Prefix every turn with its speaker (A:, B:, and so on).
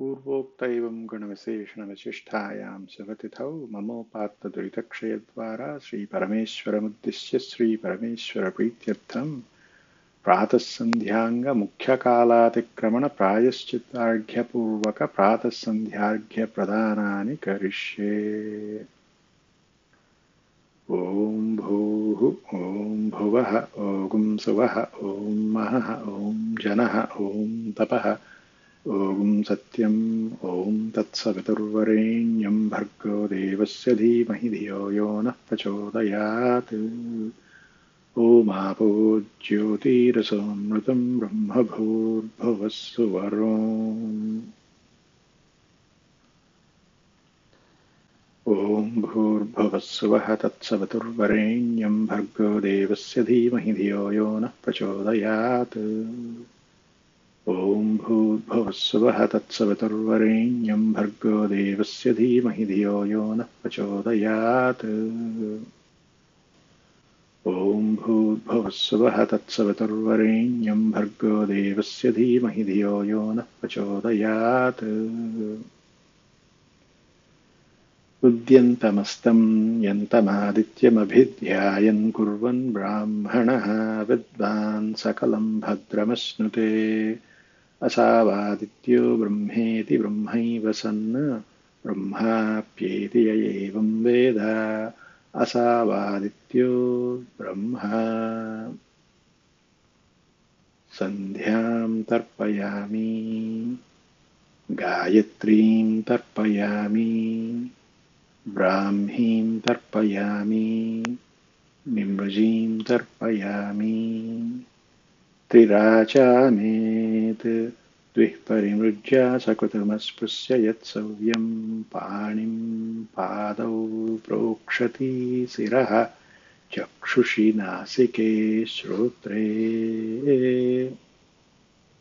A: पूर्वोक्त एवं गुणविशेषणविशिष्टायां शिवतिथौ ममोपात्तदुरितक्षयद्वारा श्रीपरमेश्वरमुद्दिश्य श्रीपरमेश्वरप्रीत्यर्थं प्रातःसन्ध्याङ्गमुख्यकालातिक्रमणप्रायश्चित्तार्घ्यपूर्वकप्रातःसन्ध्यार्घ्यप्रदानानि करिष्ये। ॐ भूः ॐ भुवः ॐ सुवः ॐ महः ॐ जनः ॐ तपः ॐ सत्यम् ॐ तत्सवितुर्वरेण्यं भर्गो देवस्य धीमहि धियो यो नः प्रचोदयात्। ओमापो ज्योतिरसोमृतं ब्रह्मभूर्भुवः सुवरोम्। ॐ भूर्भुवः स्वः तत्सवितुर्वरेण्यं भर्गो देवस्य धीमहि धियो यो नः प्रचोदयात्। ॐ भूर्भुवः स्वः तत्सवितुर्वरेण्यं भर्गो देवस्य धीमहि धियो यो नः प्रचोदयात्। ॐ भूर्भुवः स्वः तत्सवितुर्वरेण्यं भर्गो देवस्य धीमहि धियो यो नः प्रचोदयात्। उद्यन्तमस्तं यन्तमादित्यमभिध्यायन् कुर्वन् ब्राह्मणः विद्वान् सकलं भद्रमश्नुते। असावादित्यो ब्रह्मेति ब्रह्मैव सन् ब्रह्माप्येति य एवं वेद। असावादित्यो ब्रह्मा। सन्ध्यां तर्पयामि गायत्रीं तर्पयामि ब्राह्मीं तर्पयामि निमृजीं तर्पयामि। त्रिराचामेत् द्विः परिमृज्य सकृतमस्पृश्य यत्सव्यं पाणिं पादौ प्रोक्षति शिरः चक्षुषि नासिके श्रोत्रे।